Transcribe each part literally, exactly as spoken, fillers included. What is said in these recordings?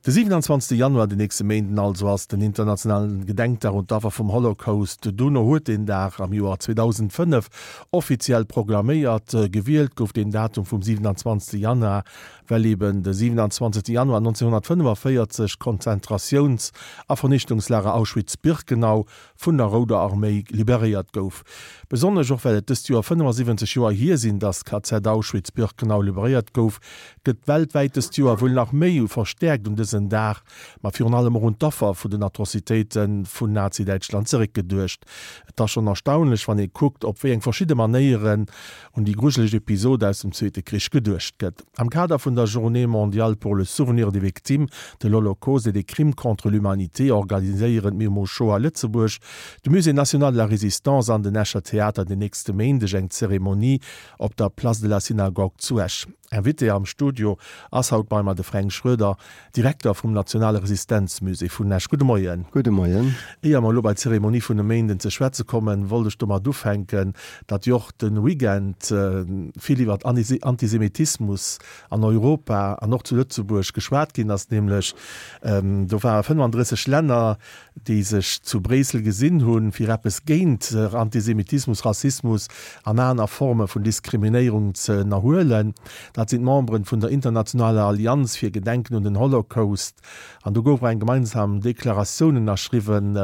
De siwenanzwanzegste Januar, den nächste Méinden also, ass den internationalen Gedenkdag un d'Affer vum Holocaust. D'UNO huet deen Dag am Joer zweedausendfënnef offiziell proklaméiert. Gewielt gouf deen Datum vum siwenanzwanzegste Januar, well eben de siwenanzwanzegste Januar nonzénhunnertfënnefavéierzeg d'Konzentratiouns a Vernichtungslager Auschwitz-Birkenau vun der Rouder Arméi liberéiert gouf. Besonnesch och well et dëst Joer fënnefasiwwenzeg Joer hier sinn, datt d'K Z Auschwitz-Birkenau liberéiert gouf, gëtt weltwäit dëst Joer wuel nach méi u verstäerkt un dësen Dag, ma virun allem och un d'Affer vun den Atrocitéite vun Nazi-Däitschland zeréckgeduecht. Et ass schonn erstaunlech, wann ee kuckt, op wéi eng verschidde Manéieren un déi grujeleg Episod aus dem Zweete Krich geduecht gëtt. Am Kader vun der Journée mondiale pour le souvenir des victimes de l'Holocauste et des crimes contre l'humanité organiséieren d'Memo Shoah Lëtzebuerg, de Musée national de la Résistance an den Escher Theater den nächste Méindeg eng Zeremonie op der Place de la Synagogue zu Esch. Invité am Studio ass haut bei mer de Fränk Schroeder, Direkter vum Nationale Resistenzmusée vun Esch. Gudde Moien. Gudde Moien. Éier mer elo bei d'Zeremonie vun e Méinden ze schwätze kommen, wollt ech domat ufänken, datt jo och de Weekend vill iwwer Antisemitismus an Europa an och zu Lëtzebuerg geschwat ginn ass, nämlech do ware fënnefandrësseg Länner, déi sech zu Bréissel gesinn hunn, fir eppes géint Antisemitismus, Rassismus an aner Forme vun Diskriminéierung ze ënnerhuelen. Dat sinn d'Memberen vun der Internationaler Allianz fir Gedenken un den Holocaust. An do gouf och eng gemeinsam Deklaratioun ënnerschriwwen.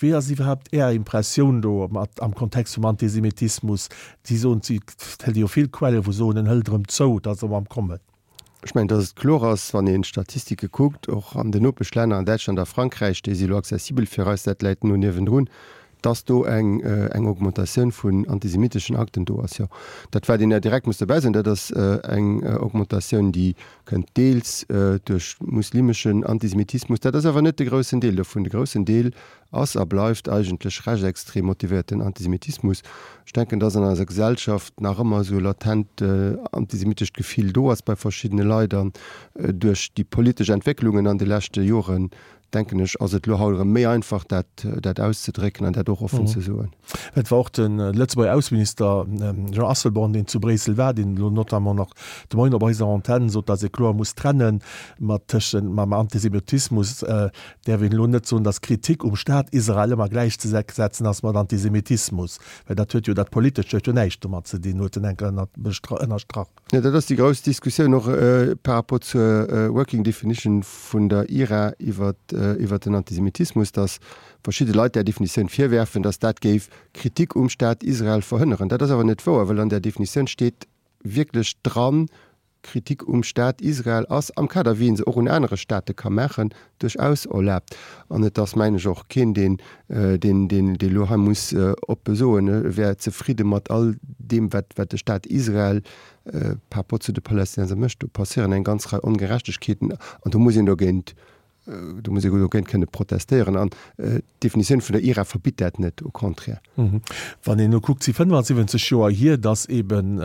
Wéi ass iwwerhaapt Är Impressioun do mat am Kontext vum Antisemitismus? Si soen, et hätt ee jo vill Quellen, wou soen, en hëlt erëm zou, et ass erëm am Kommen. Ech mengen, datt et kloer ass, wann een d'Statistike kuckt, och an den Nopeschlänner, an Däitschland a Frankräich, déi si elo accessibel fir eis, dat läit no niewendrun, datt do eng eng Augmentatioun vun antisemiteschen Akten do ass. Jo, dat wat een ja direkt muss dobäi soen, dat ass eng Augmentatioun, déi kënnt deels duerch muslimeschen Antisemitismus, dat ass awer net de groussen Deel dovun. De groussen Deel ass a bleift eigentlech rechtsextrem motivéierten Antisemitismus. Ech denken, dass an eiser Gesellschaft nach ëmmer esou e latent antisemitescht Gefill do ass bei verschiddene Leit an duerch déi politesch Entwécklungen an de leschte Joren, denken ech, ass et elo haut erëm méi einfach, dat, dat auszedrécken an dat och offen ze soen. Et war och de Lëtzebuerger Ausseminister Jean Asselborn, deen zu Bréissel war, deen elo notamment nach de Moien op eiser Antenn sot, dass ee kloer muss trenne mat tëschent mam Antisemitismus däerf een elo net soen, datt Kritik um Staat Israel ëmmer gläichzesetzen ass mat Antisemitismus, well dat huet jo, dat Politescht huet jo näischt domat ze dinn, huet en enker ënnerstrach. Jo, dat ass déi grouss Diskussioun och par rapport zur Working Definition vun der I R A iwwer den Antisemitismus, datt verschidde Leit där Definitioun virwerfen, datt dat géif Kritik um Staat Israel verhënneren. Dat ass awer net wouer, well an där Definitioun steet wierklech dran, Kritik um Staat Israel ass, am Kader wéi ee se och un anere Staate ka maachen, duerchaus erlaabt. An et ass, mengen ech, och keen, deen, deen, deen elo hei muss oppe soen, e wär zefridde mat all deem, wat, wat de Staat Israel par rapport zu de Palästinenser mécht. Do passéieren eng ganz Rei Ongerechtegkeeten an do muss een dogéint Do muss ee dogéint kënne protestéieren. An d'Definitioun vun der I R A verbitt dat net, au contraire. Wann een elo kuckt, si fënnefasiwwenzeg Joer hier, datt eeben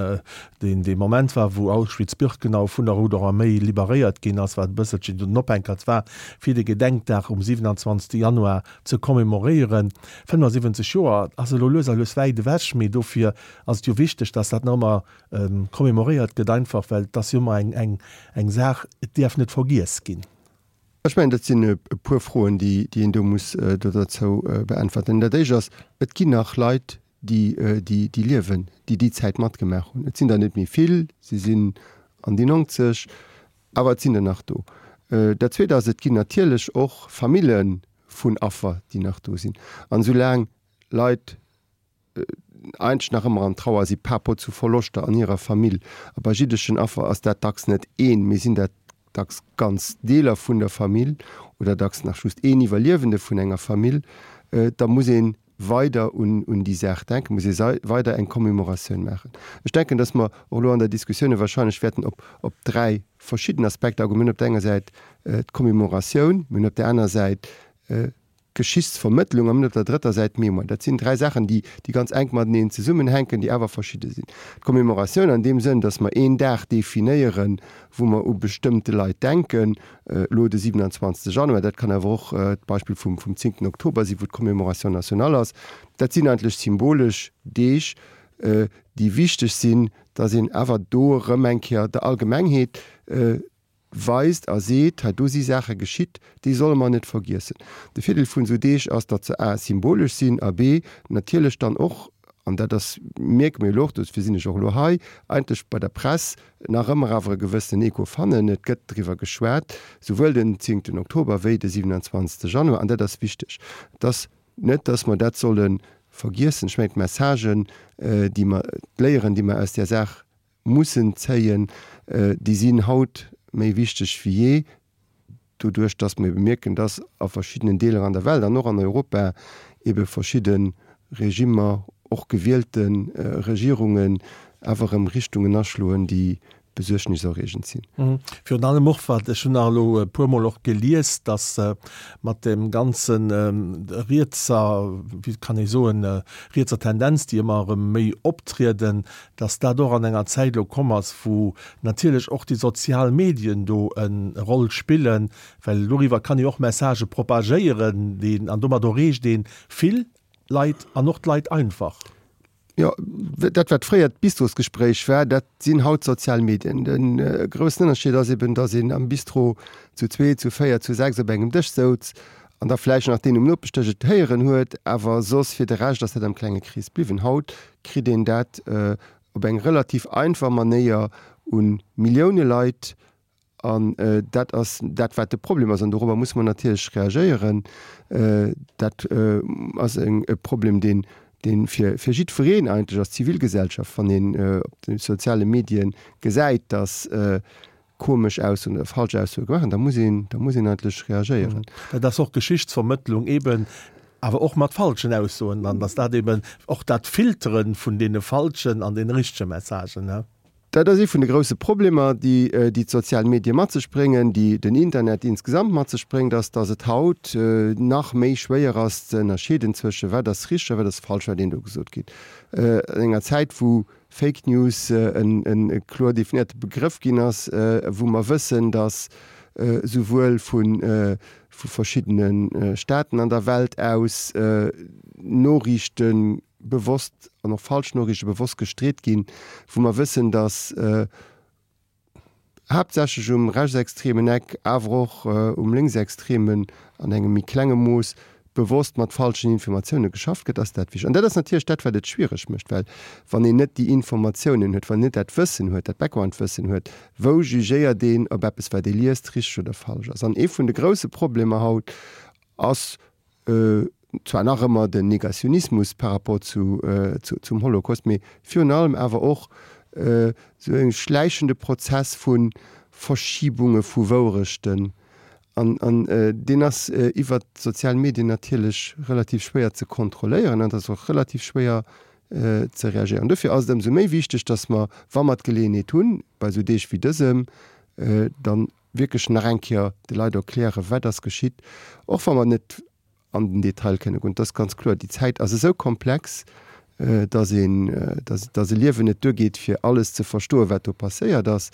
deen dee Moment war, wou Auschwitz-Birkenau vun der Rouder Arméi liberéiert ginn ass, wat e bësselchen den Ophänkert war, fir de Gedenkdag um siwenanzwanzegste Januar ze commemoréieren. fënnefasiwwenzeg Joer ass elo lues a lues wäit ewech, mee dofir ass et jo wichteg, datt dat nach ëmmer commemoréiert gëtt, einfach well et ass jo ëmmer eng eng Saach, et däerf net vergiess ginn. Ech mengen, dat sinn e puer Froen, déi een do muss do derzou beäntwerten. Dat Éischt ass, Et ginn nach Leit, déi liewen, déi déi Zäit matgemaach hunn. Et sinn der net méi vill, se sinn an déi nonzeg, awer et sinn der nach do. Dat Zweet ass, Et ginn natierlech och Famille vun Affer, déi nach do sinn. An esoulaang Leit eigentlech nach ëmmer an Trauer si par rapport zu Verloschter an hirer Famill, a bei jiddeschen Affer ass dat dacks net een, mee sinn dat dacks ganz Deeler vun der Famill oder dacks nach just een Iwwerliewende vun enger Famill, da muss ee weider un déi Saach denken, muss ee weider eng Commémoratioun maachen. Ech denken, dass mer och elo an der Diskussioune wahrscheinlech wäerten op dräi verschidden Aspekter agoen. Mir hunn op der enger Säit d'Commémoratioun, mir hunn op der aner Säit Geschichtsvermëttlung a mir hunn op der drëtter Säit d'Mémoire. Dat sinn dräi Saachen, déi, déi ganz enk mateneen zesummenhänken, déi awer verschidde sinn. D'Commémoratioun an deem Sënn, datt mer een Dag definéieren, wou mer u bestëmmte Leit denken, elo de siewenundzwanzegste Januar, dat kann awer och d'Beispill vum, vum zéngten Oktober sinn, wou d'Commémoration nationale ass, dat sinn eigentlech symbolesch Deeg, déi wichteg sinn, datt een awer do erëm eng Kéier der Allgemengheet weist a seet, hei do si Saache geschitt, déi solle mer net vergiessen. De Virdeel vun esou Deeg ass, datt se a symbolesch sinn a b natierlech dann och, an dat ass, mierke mir elo och, dofir sinn ech och elo hei, eigentlech bei der Press nach ëmmer awer e gewëssenen Echo fannen. Et gëtt driwwer geschwat, souwuel den zéngten Oktober wéi de siwenanzwanzegste Januar, an dat ass wichteg. Et ass net, datt mer dat solle vergiessen. Ech mengen, d'Messagen, déi mer, d'Léieren, déi mer aus där Saach mussen zéien, déi sinn haut méi wichteg wéi jee, doduerch datt mer ebe mierken, datt a verschiddenen Deeler an der Welt an och an Europa ebe verschidde Regimmer, och gewielte Regierungen, awer erëm Richtungen aschloen, déi besuergniserreegend sinn. Virun allem och wat, ech hunn nach elo e puermol och gelies, datt mat deem ganze rietser, wéi kann ee soen, rietser Tendenz, déi ëmmer erëm méi optrieden, datt dat och an enger Zäit elo komm ass, wou natierlech och déi sozial Medien do e Roll spillen, well doriwwer kann ee och Messagë propagéieren, déi, an domat erreecht ee vill Leit an och d'Leit einfach. Jo, dat wat fréier d'Bistrosgespréich war, dat sinn haut d'sozial Medien. De groussen Ënnerscheed ass eben, datt een am Bistro zu zwee, zu véier, zu sechs op engem Dësch souz an da vläicht nach deen um Nopeschdësch et héieren huet, awer soss fir de Rescht ass dat am klenge Krees bliwwen. Haut kritt een dat op eng relativ einfach Manéier u Millioune Leit An dat ass dat, wat de Problem ass. An dorobber musse mer natierlech reagéieren. Dat ass e Problem, deen, dee fir, fir jiddwereen eigentlech ass, d'Zivilgesellschaft, wann een op de soziale Medie gesäit, datt komesch Aussoen oder falsch Aussoe gemaach ginn, da muss een, da muss een eigentlech reagéieren. Dat ass och Geschichtsvermëttlung eeben, awer och mat falschen Aussoen dann, datt dat eeben och dat Filtere vun deene falschen an deene richtege Messagen, ne? Dat ass ee vun de grousse Problemer, déi déi d'sozial Medie mat sech bréngen, déi den Internet insgesamt mat sech bréngt, ass, datt et haut nach méi schwéier ass ze ënnerscheeden zwësche wat ass richteg a wat ass falsch, wat een do gesot kritt. An enger Zäit, wou Fake News e kloer definéierte Begrëff ginn ass, wou mer wëssen, datt souwuel vu verschiddene Staaten an der Welt aus Noriichte bewosst an och falsch Noriichte bewosst gestreet ginn, wou mer wëssen, datt haaptsächlech um rechtsextremen Eck, awer och um lénksextremen an engem méi klenge Mooss bewosst mat falschen Informatioune geschafft gëtt, ass dat wichteg. An dat ass natierlech dat, wat et schwiereg mécht, well wann een net déi Informatiounen huet, wann een net dat Wëssen huet, dat Background-Wëssen huet, wou jugéiert een, ob eppes, wat ee liest, richteg oder falsch ass? An ee vun de grousse Problemer haut ass, zwar nach ëmmer den Negationismus par rapport zu, zum Holocaust, mee virun allem awer och esou e schläichende Prozess vu Verschibunge vu Wourechten. An, an deen ass iwwert d'sozial Medien natierlech relativ schwéier ze kontrolléieren an et ass och relativ schwéier ze reagéieren. Dofir ass et ëmsou méi wichteg, datt mer, wa mer d'Geleeënheet hunn, bei esou Deeg wéi dësem, dann wierklech nach eng Kéier de Leit erklären, wat ass geschitt, och wa mer net an den Detail kënne goen. Et ass ganz kloer, déi Zäit ass esou komplex, datt een, datt e Liewen net duergeet, fir alles ze verstoen, wat do passéiert ass.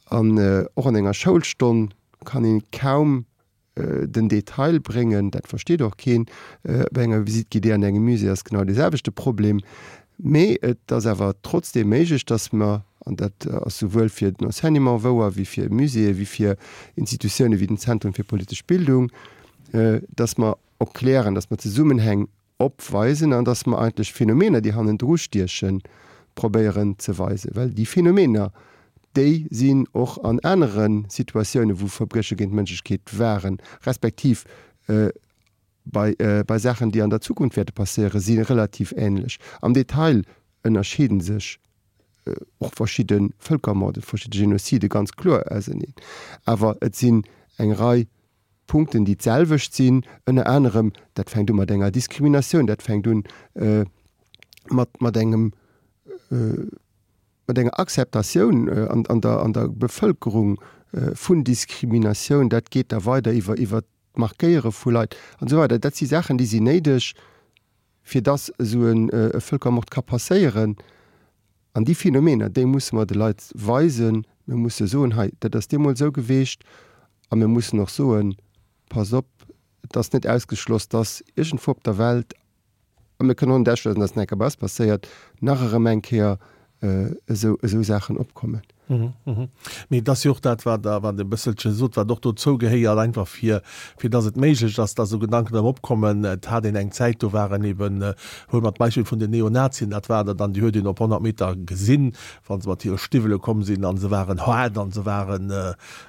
An och an enger Schoulstonn kann ee kaum den Detail bréngen, dat versteet och keen. Bei enger Visite guidée an engem Musée ass genau dee selwechte Problem. Mee et ass awer trotzdeem méiglech, datt mer, an dat ass souwuel fir den Enseignement wouer wéi fir Muséeë wéi fir Institutioune wéi den Zentrum fir politesch Bildung, datt mer erklären, datt mer Zesummenhäng opweisen an datt mer eigentlech Phänomener, déi hannendru stiechen, probéieren ze weisen. Well déi Phänomener, déi sinn och an anere Situatiounen, wou Verbrieche géint d'Mënschlechkeet waren, respektiv bei, bei Saachen, déi an der Zukunft wäerte passéieren, si relativ änlech. Am Detail ënnerscheede sech och verschidde Vëlkermorden, verschidde Genozide ganz kloer auseneen. Awer et sinn eng Rei Punkten, déi d'selwecht sinn, ënner anerem, dat fänkt u mat enger Diskriminatioun, dat fänkt un mat, mat engem, mat enger Akzeptatioun an, an der, an der Bevëlkerung vun Diskriminatioun, dat geet da weider iwwer, iwwer d'Markéiere vu Leit an esou weider. Dat si Saachen, déi sinn néideg, fir dass esou e Vëlkermord ka passéieren. An déi Phänomener, déi musse mer de Leit weisen. Mir musse soen, hei, dat ass deemools esou geweecht. A mir mussen och soen, pass op, et ass net ausgeschloss, dass iergendwou op der Welt, a mir kënnen och net ausschléissen, dass en enker bei eis passéiert, nach erëm eng Kéier esou, esou Saachen opkommen. Mee et ass jo och dat, wat Der, wat e bësselche sot, wat och dozou gehéiert, einfach fir, fir dass et méiglech ass, dass esou Gedanken erëm opkommen. Et hat een eng Zäit, do waren eben, huele mer d'Beispill vun den Neonazien, dat war der dann, déi huet een op honnert Meter gesinn, wa se mat hire Stiwwele komm sinn, a se waren haart a se ware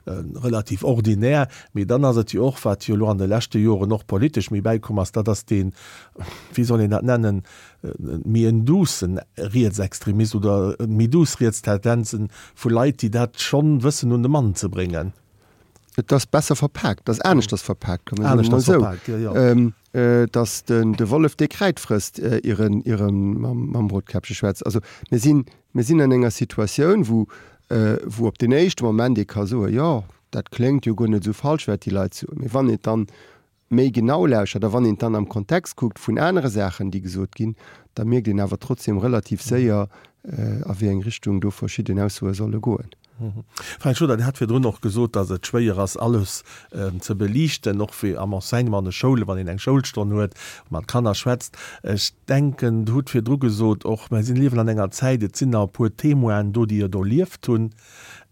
relativ ordinär. Mee dann ass et jo och, wat jo elo an de leschte Joren och politesch méi bäikomm ass, dat ass deen, wéi soll een dat nennen, méi en doucen Rietsextremist oder méi douce Rietstendenzen vu Leit, déi dat schonn wëssen un de Mann ze bréngen. Et ass besser verpaakt, et ass aneschters verpaakt, kann man soen, emol esou. Aneschters verpaakt, jo, jo. Dass den de Wollef dee Kräid frësst, ier en, ier e mam, mam Rotkäppche schwätzt. Also mir sinn, mir sinn an enger Situatioun, wou, wou op den éischte Moment ee ka soen, jo, dat kléngt jo guer net esou falsch, wat déi Leit soen. Mee wann een dann méi genau lauschert a wann een et dann am Kontext kuckt vun anere Saachen, déi gesot ginn, da mierkt een awer trotzdem relativ séier, a wéi eng Richtung do verschidden Aussoe solle goen. Fränk Schroeder, Dir hat virdrun och gesot, datt et schwéier ass, alles ze beliichten, och fir am Enseignement an de Schoulen, wann een eng Schoulstonn huet, mat Kanner schwätzt. Ech denken, Dir hutt virdru gesot och, mer sinn, liewen an enger Zäit, et sinn nach e puer Témoinen do, déi et erlieft hunn.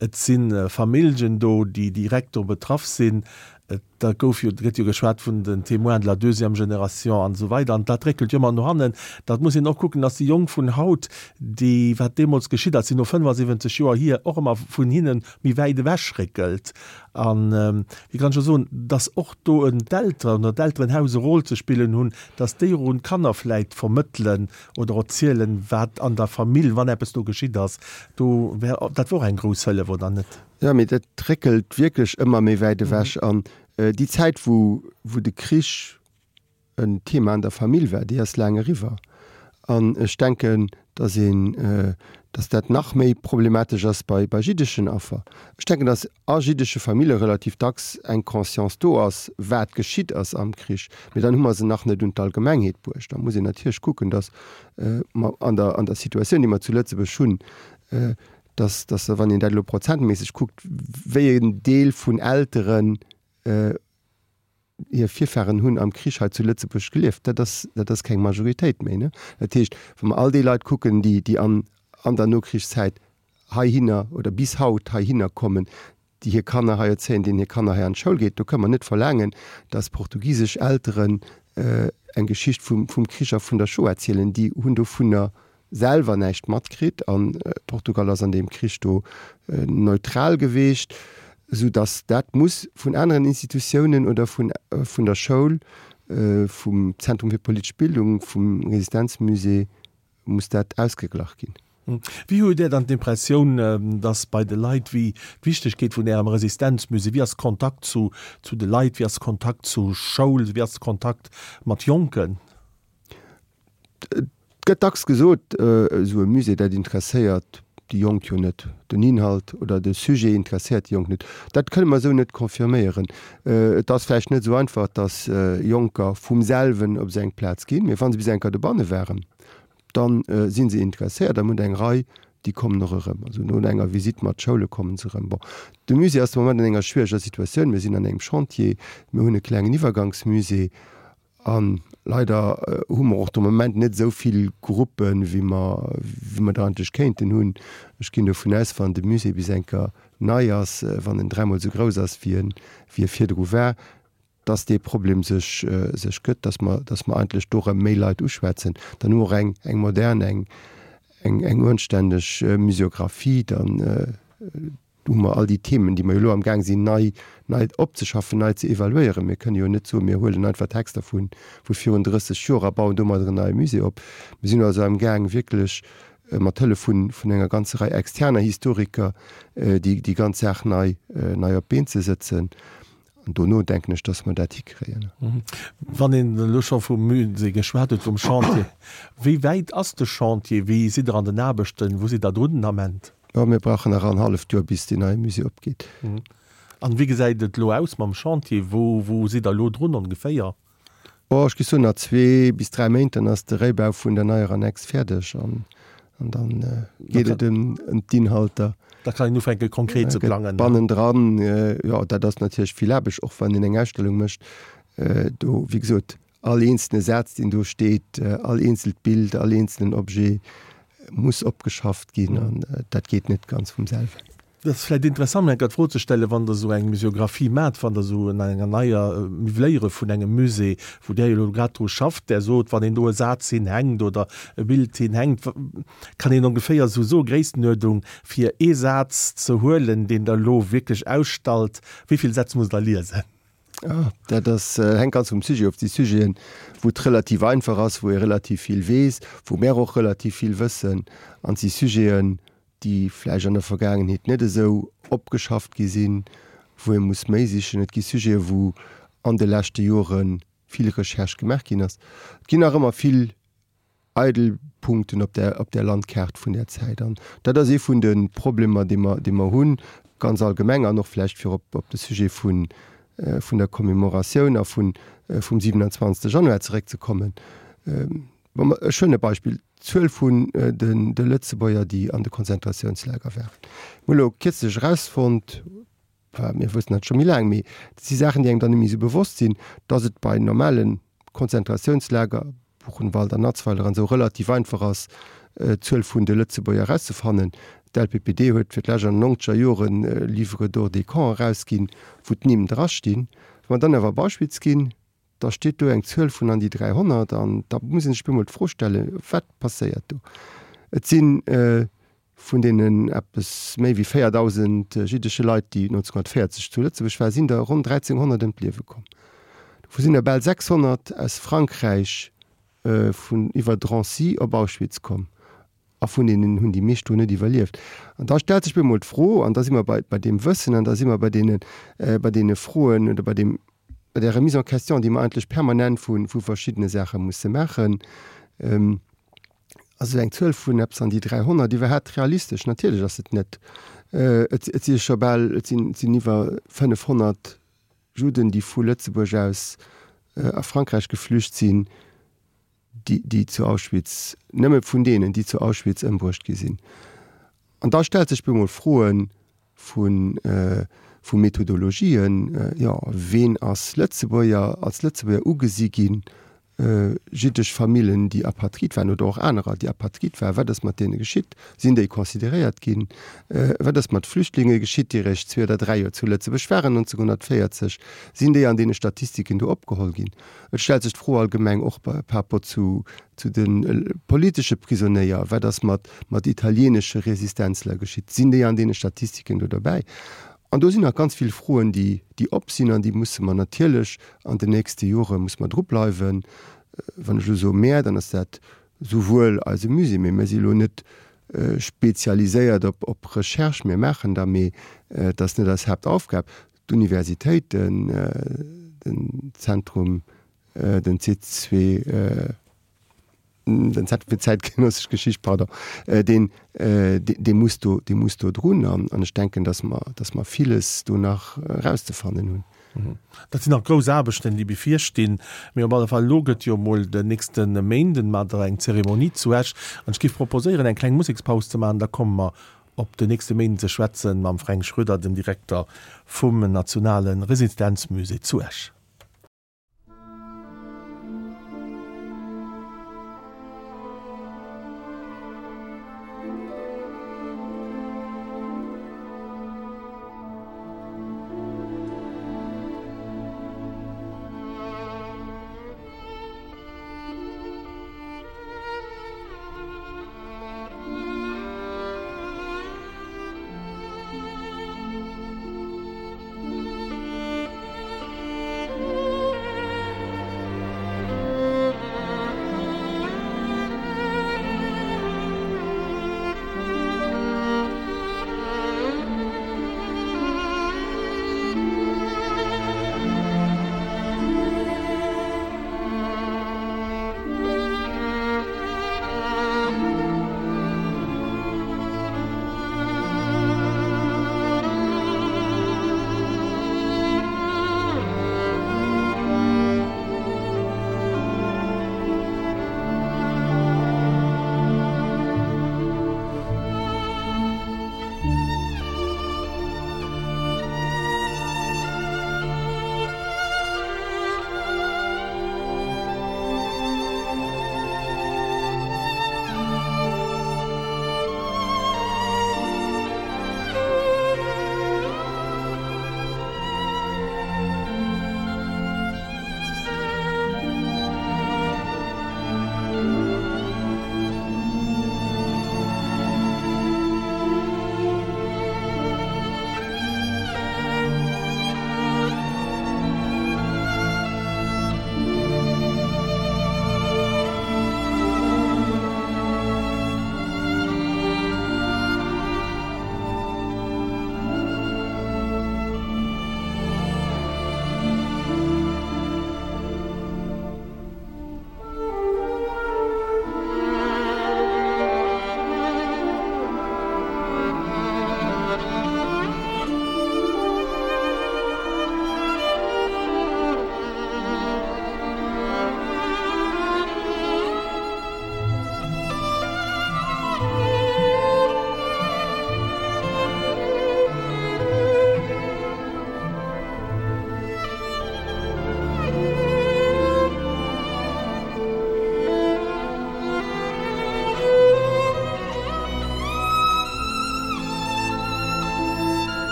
Et si Familljen do, déi direkt do betraff sinn. Et da gouf jo, gëtt jo geschwat vun den Témoins de la deuxième génération an esou weider an dat réckelt jo ëmmer no hannen. Dat muss een och kucken, dass déi Jonk vun haut, déi, wat deemools geschitt ass, sinn no fënnefasiwwenzeg Joer hier och ëmmer vun hinne méi wäit ewech réckelt. An wéi kann ech elo soen, dass och do en d'Elteren oder d'Elterenhaus e Rôle ze spillen hunn, dass déi och un d'Kanner vläit vermëttelen oder erzielen, wat an der Famill, wann eppes do geschitt ass. Do wär, dat wor och eng grouss Hëllef, oder net? Jo, mee dat réckelt wierklech ëmmer méi wäit ewech. An déi Zäit, wou, wou de Krich en Thema an der Famill war, déi ass laang eriwwer. An ech denken, dass een, dass dat nach méi problematesch ass bei, bei jiddeschen Affer. Ech denken, dass a jiddesche Famille relativ dacks eng Conscience do ass, wat geschitt ass am Krich. Mee dann hu mer se nach net un d'Allgemengheet bruecht. Da muss een natierlech kucken, dass mer an der, an der Situatioun, déi mer zu Lëtzebuerg hunn, dass, dass wann een dat elo prozentméisseg kuckt, wéi en Deel vun Elteren hir Virfahren hunn am Krich hei zu Lëtzebuerg gelieft, dat ass, dat ass keng Majoritéit méi, ne? Dat heescht, wa mer all déi Leit kucken, déi, déi an, an der Nokrichszäit heihinner oder bis haut heihinner kommen, déi hir Kanner hei erzéien, deenen hir Kanner hei an d'Schoul geet, do kënne mer net verlaangen, dass portugisesch Elteren eng Geschicht vum, vum Krich a vun der Shoah erzielen. Déi hunn dovunner selwer näischt matkritt an Portugal ass an deem Krich do neutral geweecht, esou datt dat muss vun aneren Institutiounen oder vun vun der Schoul, vum Zentrum fir politesch Bildung, vum Resistenzmusée muss dat ausgeglach ginn. Wéi hutt Dir dann d'Impressioun, datt bei de Leit, wéi d'Wichtegkeet vun Ärem Resistenzmusée, wéi ass Kontakt zu zu de Leit, wéi ass Kontakt zu Schoul, wéi ass Kontakt mat Jonken? Et gëtt dacks gesot, esou e Musée, dat interesséiert déi Jonk jo net. Den Inhalt oder de Sujet interesséiert déi Jonk net. Dat kënne mer esou net confirméieren. Et ass vläicht net esou einfach, datt Jonker vum selwen op esou eng Plaz ginn, mee wa se bis eng Kéier dobanne waren, da si se interesséiert a mir hunn eng Rei, déi kommen och erëm. Also no enger Visitt mat Schoule komme se erëm. Bon, de Musée ass de Moment an enger schwiereger Situatioun. Mir sinn an engem Chantier, mir hunn e klengen Iwwergangsmusée. A leider hu mer och de Moment net esou vill Gruppen, wéi mer, wéi mer der eigentlech kéinten hunn. Ech ginn dovun aus, wann de Musée bis eng Kéier nei ass, wann en dräimol esou grouss ass, wéi en, wéi e virdru war, dass dee Problem sech, sech gëtt, dass mer, dass mer eigentlech do erëm méi Leit uschwätzen. Dann hu mer och eng, eng modern, eng, eng, eng uanstänneg Muséographie. Dann Do hu mer all déi Themen, déi mer jo elo amgaang sinn nei, nei opzeschaffen, nei ze evaluéieren. Mir kënnen jo net soen, mir huelen einfach Texter vu vu virun drësseg Joer a bauen domadder en neie Musée op. Mir sinn also amgaang wierklech mat Hëllef vun, vun enger ganzer Rei externer Historiker déi, déi ganz Saach nei, nei op d'Been ze sëtzen. An dono denken ech, dass mer dat hikréien. Wann een elo scho vum Musée geschwat huet, vum Chantier, wéi wäit ass de Chantier? Wéi sidd Der an den Aarbechten? Wou sidd Der drun den Ament? Jo, mir brauchen nach en halleft Joer, bis deen neie Musée opgeet. An wéi gesäit et elo aus mam Chantier? Wou, wou sidd Der elo drun ongeféier? Oh, ech géif soen, nach zwee bis dräi Méint, dann ass de Réibau vun der neier Annex fäerdeg an dann geet et ëm d'Inhalter. Da kann een ufänke konkret ze plangen. Bannendran, jo, dat ass natierlech vill Aarbecht, och wann een eng Ausstellung mécht. Do, wéi gesot, all eenzelne Saz, deen do steet, all eenzelt Bild, all eenzelen Objet muss opgeschafft ginn an dat geet net ganz vum selwen. Dat ass vläicht interessant, mir enker d'Fro ze stellen, wann Der esou eng Museographie maacht, wann Der esou un enger neier Miwwléiere vun engem Musée, wou Der jo elo grad dru schafft, Der sot, wann een do e Saz hinhänkt oder e Bild hinhänkt, kann een ongeféier esou soe Gréisstenuerdung, fir ee Saz ze huelen, deen Der elo wierklech ausstallt, wéi vill Sätz musst Der liesen? Ah, dat ass, hänkt ganz vum Sujet of. Et si Sujeten, wou et relativ einfach ass, wou ee relativ vill weess, wou mär och relativ vill wëssen. An et si Sujeten, déi vläicht an der Vergaangenheet net esou opgeschafft gi sinn, wou ee muss méi sichen. Et gi Sujeten, wou an de leschte Jore vill Recherche gemaach ginn ass. Et ginn nach ëmmer vill eidel Punkten op der, op der Landkaart vun där Zäit. An dat ass ee vun de Problemer, déi mer, déi mer hunn, ganz allgemeng an och vläicht fir op, op de Sujet vun, vun der Commémoratioun a vun, vum siewenundzwanzegste Januar zeréckzekommen. Wa mer, ech huelen e Beispill, d'Zuel vun den de Lëtzebuerger, déi an de Konzentratiounslager waren. Mir hu elo kierzlech erausfonnt, enfin mir wëssen dat scho méi laang, mee dat si Saachen, déi engem dann net méi esou bewosst sinn, dass et bei normale Konzentratiounslager, Buchenwald an Natzweiler an esou, relativ einfach ass, d'Zuel vun de Lëtzebuerger erauszefannen. D'LPPD huet fir d'lescht an den nonzeger Joren e Livre d'or des camps erausginn, wou d'Nimm drastinn. Wa mer dann awer Beispill ginn, da steet do eng Zuel vun an déi dräihonnert an da muss ee sech bemol d'Fro stellen, Wat passéiert do? Et si vun deenen eppes méi wéi véierdausend jiddesche Leit, déi neunzehnhundertvéierzeg zu Lëtzebuerg waren, sinn der ronn dräizehnhonnert ëm d'Liewe komm. Dovu sinn der bal sechshonnert aus Frankräich vun iwwer Drancy op Auschwitz komm. A vun deenen hunn déi meescht do net iwwerlieft. An da stellt sech bemol d'Fro, an da si mer bei, bei deem Wëssen an da si mer bei deene, bei deene Froen oder bei deem, bei där Remise en question, déi mer eigentlech permanent vu, vu verschiddene Saache musse maachen, Ass esou eng Zuel vun eppes an déi dräihonnert iwwerhaapt realistesch? Natierlech ass et net. Et, et si scho bal, et sinn, et sinn iwwer fënnefhonnert Judden, déi vu Lëtzebuerg aus a Frankräich geflücht sinn. déi, déi zu Auschwitz, nëmme vun deenen, déi zu Auschwitz ëmbruecht gi sinn. An da stellt sech bemol Froe vu, vu Methodologien, jo, ween ass Lëtzebuerger, als Lëtzebuerger ugesi ginn, jiddesch Famillen, déi Apatrid waren oder och anerer, déi Apatrid waren, wat ass mat deene geschitt, sinn déi consideréiert ginn, wat ass mat Flüchtlinge geschitt, déi eréischt zwee oder dräi Joer zu Lëtzebuerg waren neunzehnhundertvéierzeg, sinn déi an deene Statistiken do opgeholl ginn? Et stellt sech d'Fro allgemeng och par rapport zu zu de politesche Prisonéier, Wat ass mat mat italieenesche Resistenzler geschitt? Sinn déi an deene Statistiken do derbäi? An do sinn nach ganz vill Froen, déi déi op sinn an déi musse mer natierlech an den nächste Jore musse mer drubleiwen. Wann ech elo soe mär, dann ass dat souwuel eise Musée, mee mir si elo net spezialiséiert op op Recherche, mir maachen der, mee et ass net eis Haaptaufgab. D'Universitéiten, den Zentrum, den C zwee, den Zentrum fir zäitgenössesch Geschicht, pardon, deen, dee muss do, dee muss do drun. An ech denken, dass mer, dass mer villes do nach erauszefannen hunn. Dat sinn nach grouss Aarbechten, déi bevirstinn. Mee op alle Fall, elo gëtt jo emol den nächste Méinden mat der eng Zeremonie zu Esch. An ech géif proposéieren, eng kleng Musekspaus ze maachen, da komme mer op den nächste Méinden ze schwätzen mam Fränk Schroeder, dem Direkter vum Nationale Resistenzmusée zu Esch.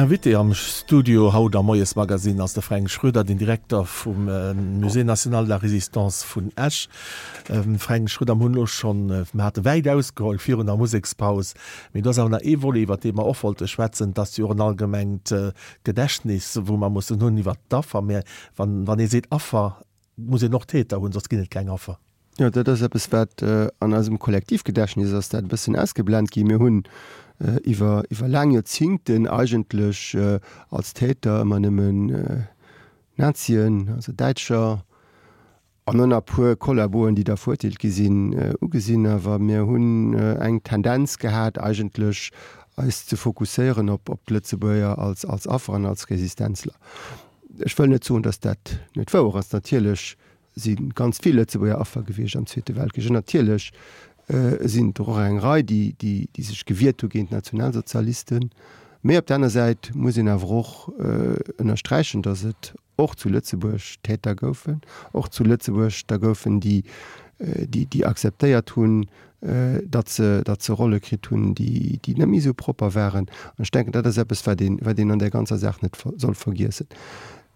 Invité am Studio haut am Moiesmagazin ass de Fränk Schroeder, den Direkter vum Musée national de la Résistance vun Esch. Fränk Schroeder, mir hunn elo schonn, mir hate wäit ausgeholl virun der Musekspaus, mee do ass awer nach ee Volet, iwwer dee mer och wollte schwätzen, dat ass jo och en allgemengt Gedächtnis, wou mer mussen hunn iwwer d'Affer. Mä wann, wann ee seet Affer, muss een och Täter hunn, soss ginn et keng Affer. Jo, dat ass eppes, wat an eisem Kollektivgedächtnis ass dat e bëssen ausgeblent ginn. Mir hunn iwwer, iwwer laang Joerzingten eigentlech als Täter ëmmer nëmmen Nazien, also Däitscher, an och nach e puer Kollaboen, déi da verurteelt gi sinn, ugesinn. Awer mir hunn eng Tendenz gehat eigentlech eis ze fokusséieren op, op d'Lëtzebuerger als, als Affer an als Resistenzler. Ech wëll net soen, datt dat net wouer ass. Natierlech si ganz vill Lëtzebuerger Affer gewiescht am Zweete Weltkrich. An natierlech sinn der och eng Rei, déi, déi, déi sech gewiert hu géint d'Nationalsozialisten. Mee op der aner Säit muss een awer och ënnersträichen, datt et och zu Lëtzebuerg Täter goufen, och zu Lëtzebuerg der goufen, déi, déi, déi akzeptéiert hunn, datt se, datt se Rolle kritt hunn, déi, déi net méi esou propper waren. An ech denken, dat ass eppes, wat een, wat een an där ganzer Saach net soll vergiessen.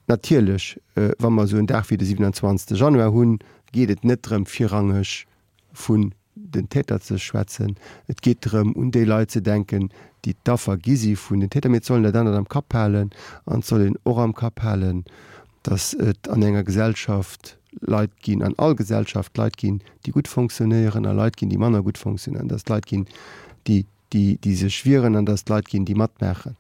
Natierlech, wa mer esou en Dag wéi de siwenanzwanzegste Januar hunn, geet et net drëm, virrangeg vun den Täter ze schwätzen. Et geet drëm, un déi Leit ze denken, déi d'Affer gi si vun den Täter. Mee et soll een dat anert am Kapp halen an et soll een och am Kapp halen, datt et an enger Gesellschaft Leit ginn, an all Gesellschaft Leit ginn, déi gutt fonctionnéieren a Leit ginn, déi manner gutt fonctionnéieren, datt et Leit ginn, déi, déi, déi sech wieren an datt et Leit ginn, déi matmaachen.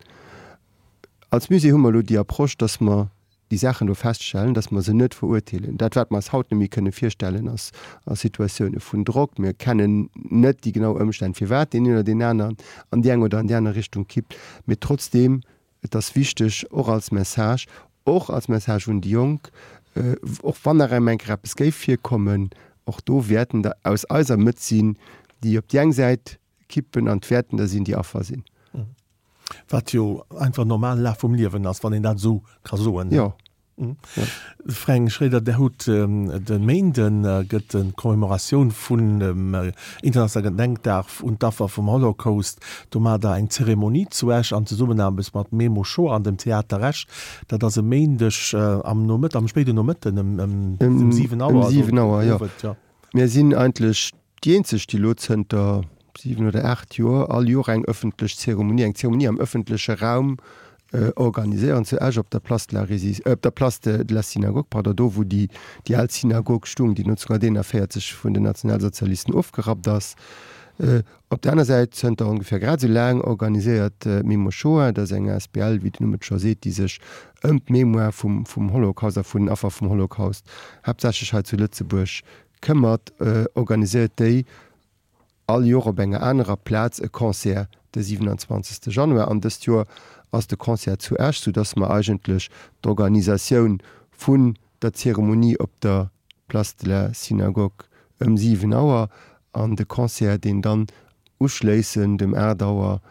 Als Musée hu mer elo déi Approche, dass mer déi Saachen do feststellen, dass mer se net verurteelen. Dat, wat mer eis haut net méi kënne virstellen, ass a Situatioune vun Drock. Mir kennen net déi genau Ëmstänn, firwat deen een oder deen aneren an déi eng oder an déi aner Richtung kippt. Mee trotzdeem, et ass wichteg, och als Message, och als Message un déi Jonk, och wann nach eng Kéier eppes géif virkommen, och do wäerten der aus eiser Mëtt sinn, déi op déi eng Säit kippen an d'wäerten der sinn, déi Affer sinn. Wat jo einfach normale Laf vum Liewen ass, wann een dat esou ka soen. Jo. Fränk Schroeder, Der hutt de Méinden gëtt d'Commémoratioun vun dem internationale Gedenkdag un d'Affer vum Holocaust. Do maacht Der eng Zeremonie zu Esch an Zesummenaarbecht mat Memo Shoah an dem Theater Esch. Dat ass e Méindeg am Nomëtt, am spéiden Nomëtten ëm siwen Auer. Ëm siwen Auer, jo. Mir sinn eigentlech déi eenzeg, déi elo zënter siwen oder aacht Joer all Joer eng ëffentlech Zeremonie, eng Zeremonie am ëffentleche Raum organiséieren zu Esch op der Place de la Résis-, op der Place de la Synagogue, pardon, do wou déi déi al Synagog stung, déi neunzehnhunnerteenundvierzig vun den Nationalsozialisten ofgerappt ass. Op der aner Säit, zënter ongeféier grad esou laang organiséiert d'Memo Shoah, dat ass eng asbl, wéi den Numm et scho seet, déi sech ëm d'Mémoire vum vum Holocaust a vun den Affer vum Holocaust, haaptsächlech hei zu Lëtzebuerg, këmmert, organiséiert déi all Joer op enger anerer Plaz e Concert de siwenanzwanzegste Januar. An dëst Joer ass de Concert zu Esch, soudass mer eigentlech d'Organisatioun vun der Zeremonie op der Place de la Synagogue ëm siwen Auer an de Concert, deen dann uschléissend ëm aacht Auer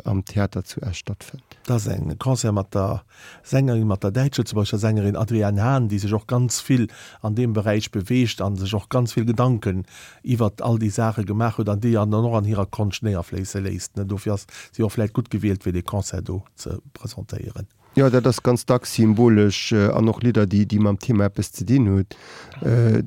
am Theater zu Esch stattfënnt. Dat ass e Concert mat der Sängerin, mat der däitsch-lëtzebuergescher Sängerin Adrienne Hahn, déi sech och ganz vill an deem Beräich beweegt a sech och ganz vill Gedanken iwwert all déi Saache gemaach huet an déi an dann och an hirer Konscht néierfléisse léisst. Dofir ass si och vläicht gutt gewielt, fir dee Concert do ze presentéieren. Jo, dat ass ganz dacks symbolesch an och Lidder, déi mam Thema eppes ze dinn hunn.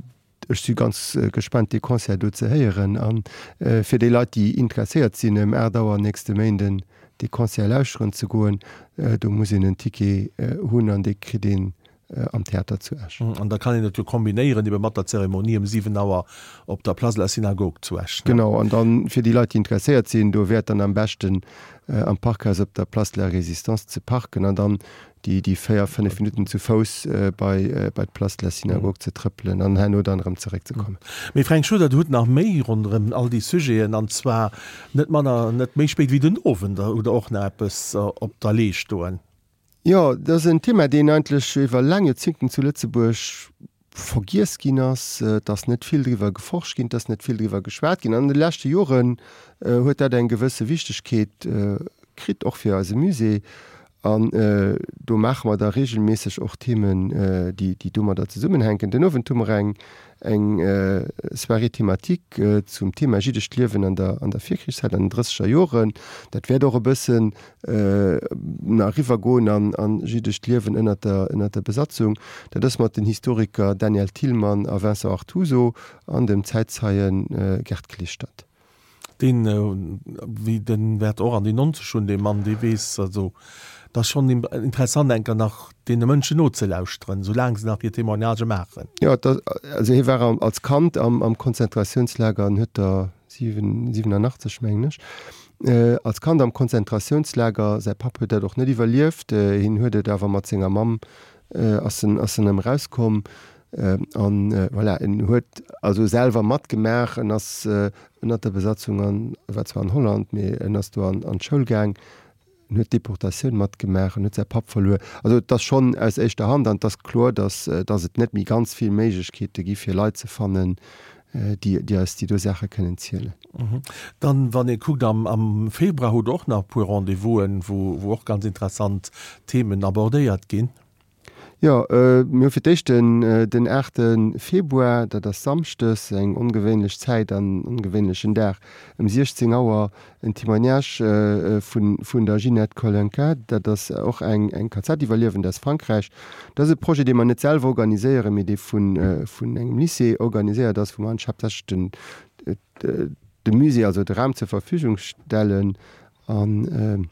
Ech si ganz gespaant dee Concert do ze héieren. A fir déi Leit, déi interesséiert sinn, ëm aacht Auer nächste Méinden dee Concert lauschteren ze goen, do muss een en Ticket hunn an dee kritt een am Theater zu Esch. An da kann een et jo kombinéieren ebe mat der Zeremonie ëm siwen Auer op der Place de la Synagogue zu Esch. Genau, an dann fir déi Leit, déi interesséiert sinn, do wäert dann am beschten am Parkhaus op der Place de la Résistance ze parken an dann déi déi véier, fënnef Minutten zu Fouss bei bei d'Place de la Synagogue ze trëppelen an herno dann erëm zeréckzekommen. Mee Fränk Schroeder, Der hutt nach méi ronderëm all déi Sujeten, an zwar net manner, net méi spéit wéi den Owend hutt Der och nach eppes op der Lee stoen. Jo, dat ass en Thema, deen eigentlech iwwer laang Joerzéngten zu Lëtzebuerg vergiess ginn ass. Et ass net vill driwwer geforscht ginn, et ass net vill driwwer geschwat ginn. An de leschte Joren huet dat eng gewësse Wichtegkeet kritt, och fir eise Musée. An do maache mer da reegelméisseg och Themen, déi déi domadder zesummenhänken. Den Owend hu mer eng eng Soirée thématique zum Thema jiddescht Liewen an der an der Virkrichszäit, an den drësseger Joren. Dat wäert och e bëssen nach eriwwergoen an an jiddescht Liewen ënnert der ënnert der Besatzung. Dat ass mat den Historiker Daniel Thilmann a Vincent Artuso an dem Zäitzeien Gerd Klestadt. Deen, wéi den wäert och an déi nonzeg hunn, dee Mann, dee weess, also et ass schonn interessant eng Kéier nach deene Mënschen nozelauschteren, soulaang se nach hir Témoignagë maachen. Jo, et ass, also hie war als Kand am am Konzentratiounslager an huet der siwen, siwenanachtzeg mengen ech, als Kand am Konzentratiounslager, säi Papp huet dat och net iwwerlieft, hien huet et awer mat senger Mamm ass en ass en erëm erauskomm an voilà, en huet also selwer matgemaach, en ass ënnert der Besatzung an, e war zwar an Holland, mee en ass do an an d'Schoul gaang, en huet d'Deportatioun matgemaach, en huet säi Papp verluer. Also et ass schonn aus éischter Hand an et ass kloer, datt datt et net méi ganz vill Méiglechkeete gi fir Leit ze fannen, déi déi eis déi do Saache kënnen zielen. Dann, wann ee kuckt, am am Februar hutt Der och nach e puer Rendez-vousen, wou wou och ganz interessant Themen abordéiert ginn. Jo, mir hu fir d'éischt den den aachte Februar, dat ass samschdes, eng ongewéinlech Zäit an ongewéinlechen Dag, ëm siechzéng Auer en Témoignage vun vun der Ginette Kolenka, dat ass och eng eng K Z-Iwwerliewend aus Frankräich. Dat ass e Projet, dee mer net selwer organiséieren, mee dee vun vun engem Lycée organiséiert ass, wou mer haaptsächlech den de Musée, also de Raum zur Verfügung stellen an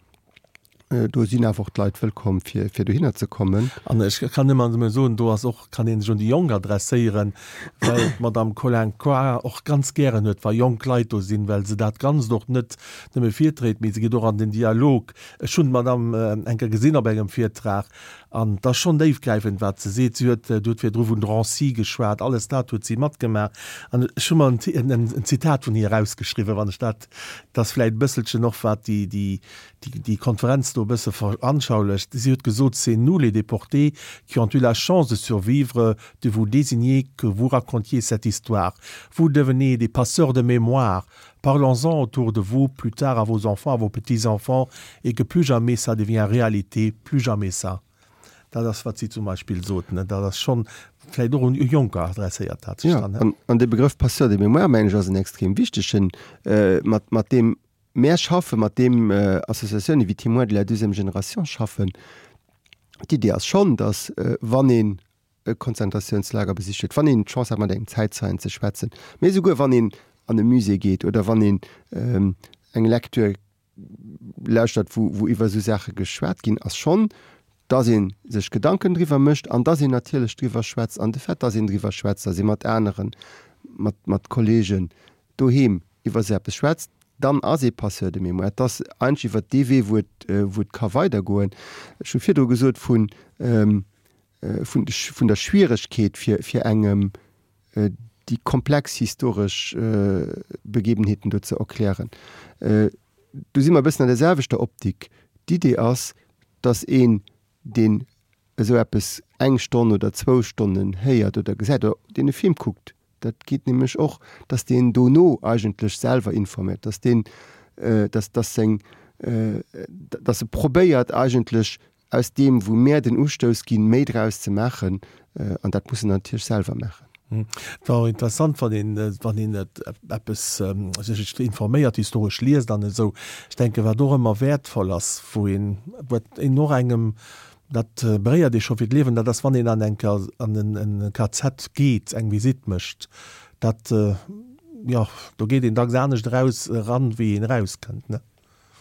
Do sinn awer och d'Leit wëllkomm, fir, fir dohinner ze kommen. An ech kann ëmmer nëmme soen, do ass och, kann ee sech un déi Jonk adresséieren, well d'Madame Collin-Coire och ganz gären huet, wa jonk Leit do sinn, well se dat Ganzt och net nëmme virtréit, mee se geet och an den Dialog. Ech hunn d'Madame eng Kéier gesinn op engem Virtrag an et ass schonn déifgräifend, wat se seet. Si huet, du huet virdru vun Drancy geschwat, alles dat huet si matgemaach. An ech hu mer en, en Zitat vun hir erausgeschriwwen, wann ech dat, dat ass vläicht e bësselchen och wat déi, déi, déi Konferenz do e bësse veranschaulecht. Si huet gesot, C'est nous les déportés qui ont eu la chance de survivre, de vous désigner que vous racontiez cette histoire. Vous devenez des passeurs de mémoire. Parlons-en autour de vous, plus tard à vos enfants, à vos petits-enfants, et que plus jamais ça devient réalité, plus jamais ça. Dat ass, wat si zum Beispill sot, ne? Dat ass schonn vläicht och un Jonker adresséiert, dat sech Ja, dann, ne? an, an de Begrëff Passeur de mémoire, mengen ech, ass en extrem wichtegen, mat, mat deem Mär schaffen, mat deem Associatiounen wéi Témoins de la deuxième génération schaffen. D'Idee ass schonn, datt wann een e Konzentratiounslager besicht huet, wann een d'Chance hat mat engem Zäitzeien ze schwätzen, mee esouguer wann een an e Musée geet oder wann een eng Lecture lauschtert, wou wou iwwer esou Saache geschwat ginn, ass schonn, datt ee sech Gedanken driwwer mécht an datt een natierlech driwwer schwätzt. An de Fait, datt een driwwer schwätzt, datt ee mat aneren, mat mat Kollegen doheem iwwer esou eppes schwätzt, dann ass ee Passeur de mémoire. Et ass eigentlech iwwer dee Wee, wou et, wou et ka weidergoen. Ech hu virdru gesot vun, vun, vun der Schwieregkeet fir, fir engem déi komplex historesch Begebenheeten do ze erklären. Do si mer e bëssen an der selwechter Optik. D'Idee ass, dass een, deen esou eppes eng Stonn oder zwou Stonnen héiert oder gesäit oder deen e Film kuckt, dat geet nämlech och, dass deen dono eigentlech selwer informéiert, dass deen, dass, dass seng, dass e probéiert eigentlech aus deem, wou mär den Ustouss ginn, méi draus ze maachen. An dat muss en natierlech selwer maachen. Et war och interessant, wann een, wann een eppes sech informéiert, historesch liest an esou. Ech denken, wat och ëmmer wäertvoll ass, wou een, wat een och engem Dat beréiert ee scho fir d'Liewen, dat ass wann een an eng an en K Z geet, eng Visitt mécht. Dat, jo, do geet een dacks anescht eraus eran, wéi een erauskënnt, ne?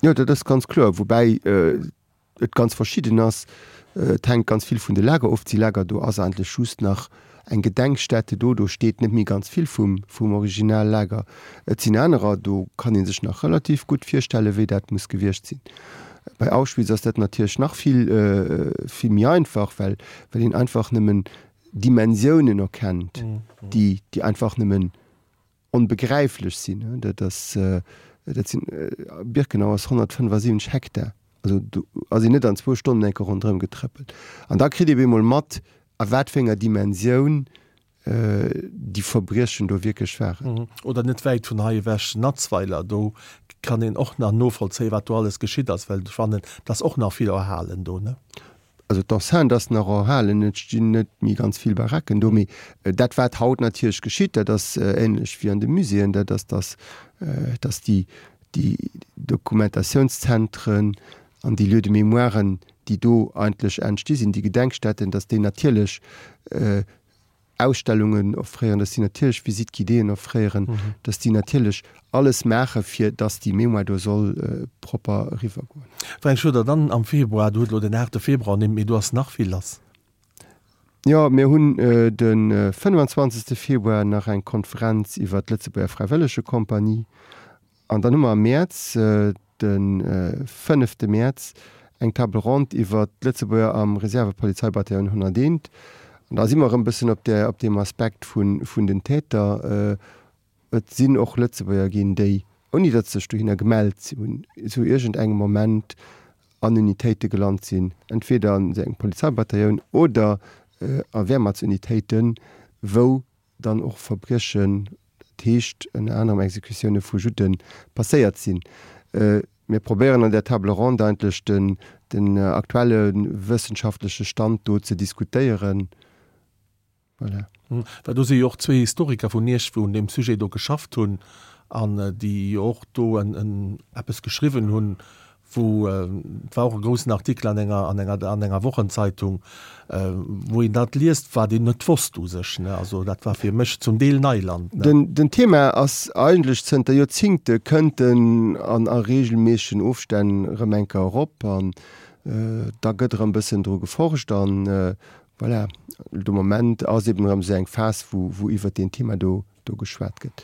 Jo, dat ass ganz kloer, woubäi et ganz verschidden ass. Et hänkt ganz vill vun de Lager of. Et si Lager, do ass eigentlech just nach eng Gedenkstätte do, do steet net méi ganz vill vum vum Originallager. Et sinn anerer, do kann ee sech nach relativ gutt virstellen, wéi dat muss gewiescht sinn. Bei Auschwitz ass dat natierlech nach vill, vill méi einfach, well, well een einfach nëmmen Dimensiounen erkennt, déi, déi einfach nëmmen onbegräiflech sinn. Dat ass, dat sinn, Birkenau ass honnertfënnefasiwwenzeg Hektar, also do ass een net an zwou Stonnen eng Kéier ronderëm getrëppelt. An da kritt ee bemol mat, a wat fir enger Dimensioun déi Verbriechen do wierklech waren. Oder net wäit vun hei ewech, Natzweiler, do kann een och nach novollzéien, wat do alles geschitt ass, well ech fannen, et ass och nach vill erhalen do, ne? Also d'Enceinte ass nach erhalen, et stinn net méi ganz vill Baracken do, mee dat wat haut natierlech geschitt, dat ass ähnlech wéi an de Muséeën, dat ass, dass, dass déi, déi Dokumentationszentren an déi Lieux de mémoiren, déi do eigentlech entsti sinn, déi Gedenkstätten, dass déi natierlech Ausstellungen offréieren, dass déi natierlech Visites guidéeën offréieren, dass déi natierlech alles maachen, fir dass déi Mémoire do soll propper eriwwergoen. Fränk Schroeder, Dann am Februar, du hutt elo den aachte Februar ernimmt, mee do ass nach vill lass. Jo, mir hunn de fënnwanzwanzegste Februar nach eng Konferenz iwwer d'Lëtzebuerger Fräiwëllegekompanie. An dann hu mer am Mäerz, de fënnefte Mäerz, eng Table ronde iwwer d'Lëtzebuerger am Reservepolizeibataillon honnerteent. An da si mer erëm e bëssen op där, op deem Aspekt vun, vun den Täter. Et sinn och Lëtzebuerger ginn, déi, ouni datt se sech dohinner gemellt hunn, zu iergendengem Moment an Unitéite gelant sinn, entweder an esou engem Polizeibataillon oder a Wehrmachtsunitéiten, wou dann och Verbriechen, dat heescht ënner anerem Exekutioune vu Judden, passéiert sinn. Mir probéieren an där Table ronde eigentlech den, den aktuelle wëssenschaftleche Stand do ze diskutéieren. Voilà. Well do si jo och zwee Historiker vun Iech, wou un deem Sujet do geschafft hunn an déi jo och do en, en eppes geschriwwen hunn, wou, et war och e groussen Artikel an enger, an enger, an enger Wochenzeitung, wou een dat liest, wat een net wosst u sech, ne. Also dat war fir mech zum Deel Neiland, ne. Den, den Thema ass eigentlech zënter Joerzingte kënnt en an a reegelméissegen Ofstänn erëm eng Kéier erop an da gëtt erëm e bëssen dru geforscht an voilà, de Moment ass eben erëm esou eng Phas, wou, wou iwwert deen Thema do, do geschwat gëtt.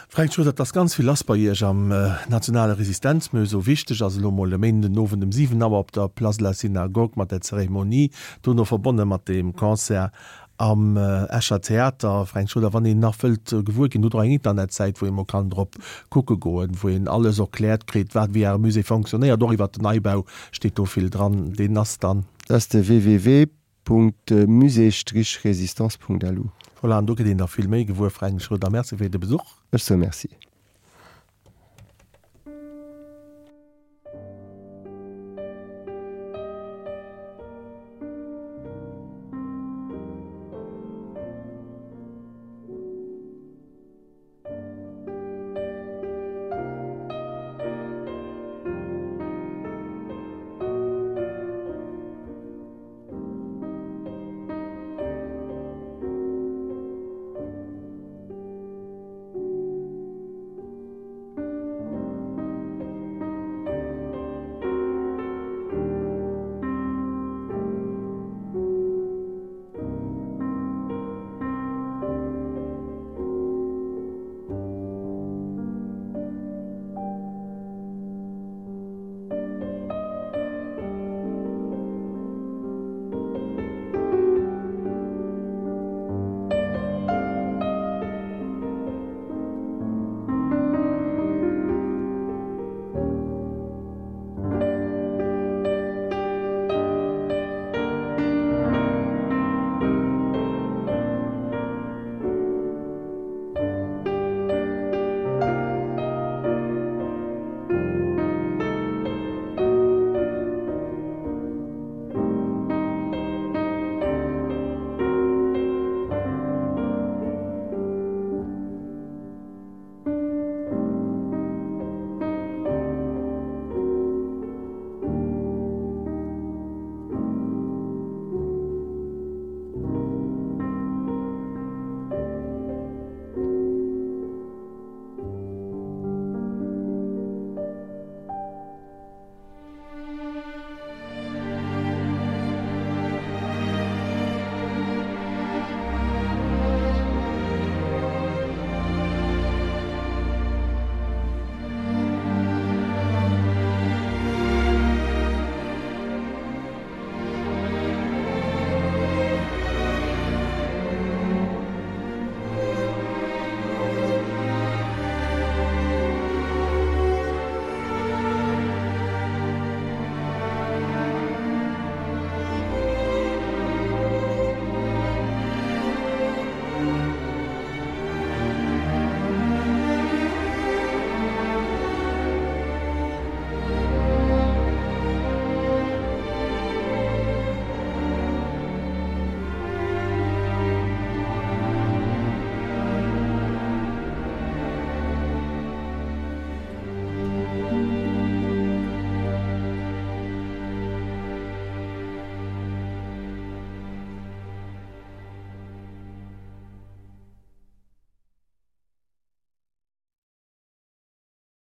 Fränk Schroeder, Et ass ganz vill lass bei Iech am Nationale Resistenzmusée. Wichteg ass elo mol e Méinden den Owend um siwen Auer op der Place de la Synagogue mat der Zeremonie, dono verbonne mat dem Concert am Escher Theater. Fränk Schroeder, wann een nach wëllt gewuer ginn, hutt Der och eng Internetsäit, wou ee mol kann drop kucke goen, wou een alles erkläert kritt, wat wéi Äre Musée fonctionnéiert. Och iwwert den Neibau steet do vill dran. Deen ass dann. Dat ass de www. Musée-résistance.lu. Voilà, an do gëtt een da vill méi gewuer. Fränk Schroeder, Merci fir de Besuch. Ech soe Merci.